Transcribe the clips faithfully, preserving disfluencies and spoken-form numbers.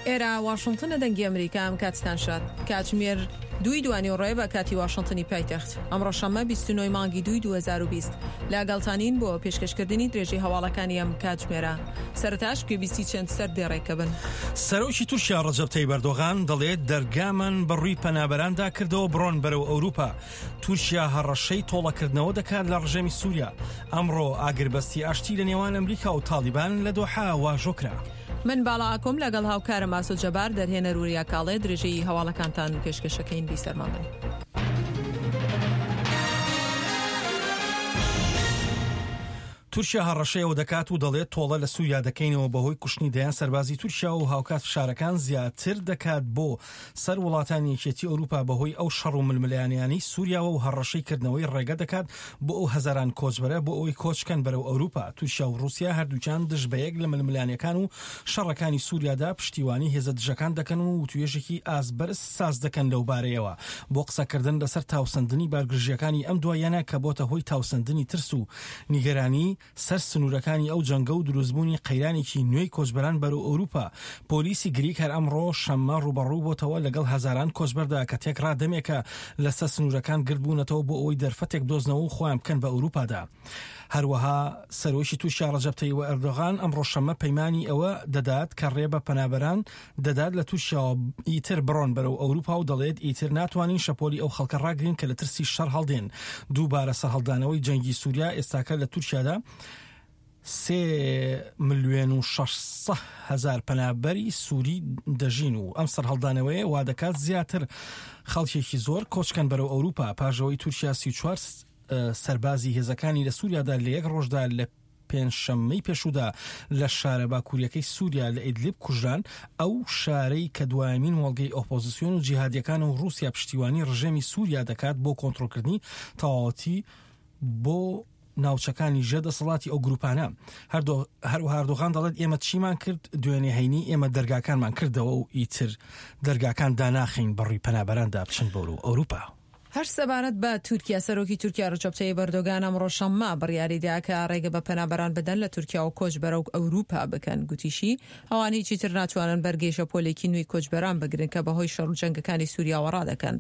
ئێرە واشنتنە، دەنگی ئەمریکا. ئەم کاتتان شاد. کاتژمێر دووی دوانیوەڕۆیە بە کاتی واشنتنی پایتەخت. ئەمڕۆ شەممە بیست و نۆ مانگی دووی دوو هەزار و بیست لەگەڵتانین بۆ پێشکەشکردنی درێژەی هەواڵەکانی ئەم کاتژمێرە. سەرەتاش گوێبیستی چەند سەر دێڕێکە بن. سەرۆکی تورکیا ڕەجەب تەیب ئەردۆغان دەڵێت دەرگامان بەڕووی پەنابەراندا کردەوە، بڕۆن بەرەو ئەوروپا. تورکیا هەڕەشەی تۆڵەکردنەوە دەکات لە ڕژێمی سووریا. ئەمڕۆ ئاگربەستی ئاشتی لە نێوان ئەمریکا و تاڵیبان لە دۆحا واژۆ کرا. من باڵا ئاکۆم لەگەڵ هاوکارم ئاسۆ جەبار، دەرهێنەر وریا کاڵێ، درێژەی هەواڵەکانتان پێشکەشەکەین. بیسەرمان بن. تورکیا هەڕەشەیەوە دەکات و دەڵێت تۆڵە لە سووریا دەکەینەوە بەهۆی کوشتنی دەیان سەربازی تورکیا و هاوکات فشارەکان زیاتر دەکات بۆ سەر وڵاتانی یەکێتی ئەوروپا بەهۆی ئەو شەڕ و ململانێیانەی سووریاوە و هەڕەشەی کردنەوەی ڕێگە دەکات بۆ ئەو هەزاران کۆچبەرە بۆ ئەوەی کۆچکەن بەرەو ئەوروپا. تورکیا و ڕووسیا هەردووکیان دژ بە یەک لە ململانێکان و شەڕەکانی سووریادا پشتیوانی هێزە دژەکان دەکەن و وتوێژێکی ئاست بەرز ساز دەکەن لەو بارەیەوە بۆ قسەکردن لەسەر تاوسەندنی بارگرژیەکانی ئەم دواییانە کە بۆتە هۆی تاوسەندنی ترس و نیگەرانی سەر سنوورەکانی ئەو جەنگە و دروستبوونی قەیرانێکی نوێی کۆچبەران بەرەو ئەوروپا. پۆلیسی گریک هەر ئەمڕۆ شەممە ڕووبەڕوو بۆتەوە لەگەڵ هەزاران کۆچبەردا کە تێکڕا دەمێکە لەسەر سنوورەکان گردبوونەتەوە بۆ ئەوەی دەرفەتێک بدۆزنەوە و خۆیان بکەن بە ئەوروپادا. هەروەها سەرۆکی تورکیا ڕەجەب تەیب ئەردۆغان ئەمڕۆ شەممە پەیمانی ئەوە دەدات کە ڕێ بە پەنابەران دەدات لە تورکیاوە ئیتر بڕۆن بەرەو ئەوروپا و دەڵێت ئیتر ناتوانین شەپۆلی ئەو خەڵکە ڕاگرین کە لە ترسی شەڕ هەڵدێن. دووبارە سەرهەڵدانەوەی جەنگی سووریا ئێستاکە لە تورکیادا سێ ملیۆن و شەش سەد هەزار پەنابەری سووری دەژین و ئەم سەرهەڵدانەوەیە وا دەکات زیاتر خەڵکێکی زۆر کۆچکەن بەرەو ئەوروپا. پاش ئەوەی تورکیا سی و چوار سەربازی هێزەکانی لە سووریادا لە یەک ڕۆژدا لە پێنجشەممەی پێشودا لە شارە باکووریەکەی سووریا لە ئیدلیب کوژران، ئەو شارەی کە دوایەمین مۆڵگەی ئۆپۆزیسیۆن و جیهادیەکان و ڕووسیا پشتیوانی ڕژێمی سووریا دەکات بۆ کۆنترۆڵکردنی تەواوەتی بۆ ناوچەکانی ژێر دەسەڵاتی ئەو گروپانە. هەروەها ئەردۆغان دەڵێت ئێمە چیمان کرد دوێنێ هەینی؟ ئێمە دەرگاکانمان کردەوە و ئیتر دەرگاکان داناخین بەڕووی پەنابەراندا بچن بۆ ئەوروپا. هەر سەبارەت بە تورکیا، سەرۆکی تورکیا ڕەجەب تەیب ئەردۆگان ئەمڕۆ شەممە بڕیاریدا کە ڕێگە بە پەنابەران بدەن لە تورکیا و کۆچ بەرەو ئەوروپا بکەن. گوتیشی ئەوان هیچی تر ناتوانن بەرگەی شەپۆلێکی نوێی کۆچبەران بگرن کە بەهۆی شەڕ و جەنگەکانی سووریاوە ڕادەکەن.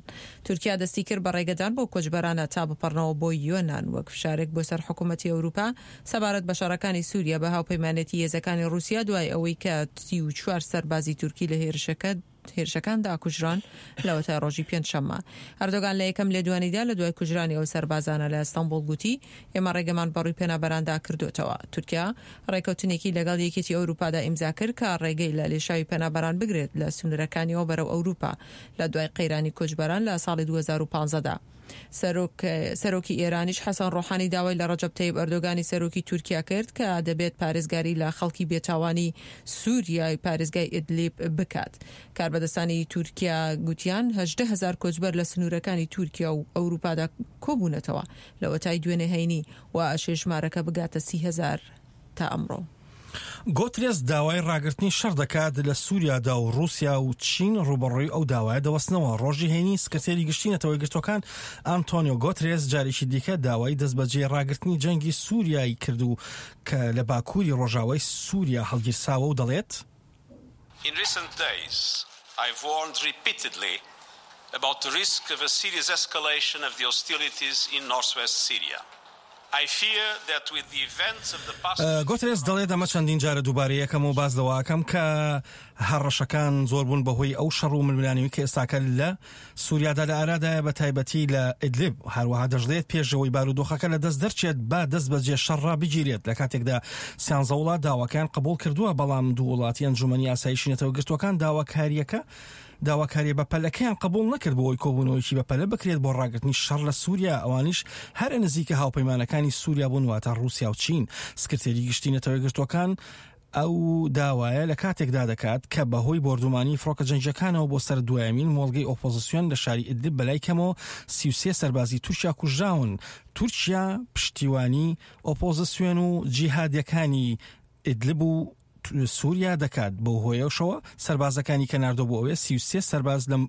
تورکیا دەستی کرد بە ڕێگەدان بۆ کۆچبەرانە تا بپەڕنەوە بۆ یۆنان وەک فشارێک بۆ سەر حکوومەتی ئەوروپا سەبارەت بە شەڕەکانی سووریا بە هاوپەیمانێتی هێزەکانی ڕووسیا، دوای ئەوەی کە سی و چوار سەربازی تورکی لە هێرشەکە هێرشەکاندا کوژران لەوەتای ڕۆژی پێنجشەممە. ئەردۆگان لە یەکەم لێدوانیدا لە دوای کوژرانی ئەو سەربازانە لە ئەستەنبوڵ گوتی ئێمە ڕێگەمان بەڕووی پەنابەراندا کردوتەوە. تورکیا ڕێکەوتنێکی لەگەڵ یەکێتی ئەوروپادا ئیمزا کرد کە ڕێگەی لە لێشاوی پەنابەران بگرێت لە سنوورەکانیەوە بەرەو ئەوروپا لە دوای قەیرانی کۆچبەران لە ساڵی دوو هەزار و پازدە دا. سەرۆک سەرۆکی ئێرانیش حەسەن ڕۆحانی داوای لە ڕەجەب تەیب ئەردۆگانی سەرۆکی تورکیا کرد کە دەبێت پارێزگاری لە خەڵکی بێتاوانی سووریای پارێزگای ئیدلیب بکات. کاربەدەستانی تورکیا گوتیان هەژدە هەزار کۆچبەر لە سنوورەکانی تورکیا و ئەوروپادا کۆبوونەتەوە لەوەتای دوێنێ هەینی و ئەشێ ژمارەکە بگاتە سی هەزار تا ئەمڕۆ. گۆترێس داوای ڕاگرتنی شەڕ دەکات لە سووریادا و ڕووسیا و چین ڕووبەڕووی ئەو داوایە دەوەستنەوە. ڕۆژی هەینی سکرتێری گشتی نەتەوە یەکگرتووەکان ئەنتۆنیۆ گۆترێس جارێکی دیکە داوای دەستبەجێ ڕاگرتنی جەنگی سووریای کرد و کە لە باکووری ڕۆژاوای سووریا هەڵگیرساوە و دەڵێت In recent days, I've warned repeatedly about the risk of a serious escalation of the hostilities in northwest Syria. گۆترێس دەڵێت ئەمە چەندین جارە دووبارە یەکەم و باس لەوەکەم کە هەڕەشەکان زۆر بوون بەهۆی ئەو شەڕ و ململانێی کە ئێستاکە لە سووریادا لە ئارادایە، بە تایبەتی لە ئیدلیب. هەروەها دەشڵێت پێشەوەی بارودۆخەکە لە دەست دەرچێت با دەست بەجێ شەڕ ڕابگیرێت. لە کاتێکدا سیانزە وڵات داواکەیان قبوڵ کردووە، بەڵام دوو وڵاتی ئەنجومەنی ئاسایشی نەتەوە یەکگرتووەکان داواکاریەکە داواکاریە بەپەلەکەیان قبول نەکرد بۆ ئەوەی کۆبوونەوەیەکی بەپەلە بکرێت بۆ ڕاگرتنی شەڕ لە سووریا. ئەوانیش هەرە نزیکە هاوپەیمانەکانی سووریا بوون، واتە ڕووسیا و چین. سکرتێری گشتی نەتەوە یەکگرتووەکان ئەو داوایە لە کاتێکدا دەکات کە بەهۆی بۆردومانی فڕۆکە جەنگیەکانەوە بۆ سەر دوایەمین مۆڵگەی ئۆپۆزیسیۆن لە شاری ئیدلیب بەلای کەمەوە سی و سێ سەربازی تورکیا کوژراون. تورکیا پشتیوانی ئۆپۆزیسیۆن و جیهادیەکانی ئیدلب و سووریا دەکات، بەو هۆیەشەوە سەربازەکانی کە ناردۆ بۆ ئەوێ سی و سێ سەرباز لەم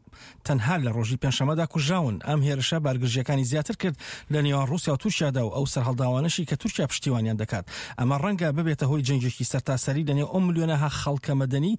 تەنها لە ڕۆژی پێنجشەممەدا کوژراون. ئەم هێرشە بارگرژیەکانی زیاتر کرد لە نێوان ڕووسیا و تورکیادا و ئەو سەرهەڵداوانەشی کە تورکیا پشتیوانیان دەکات. ئەمە ڕەنگە ببێتە هۆی جەنگێکی سەرتاسەری لە نێو ئەو ملیۆنەها خەڵکە مەدەنی.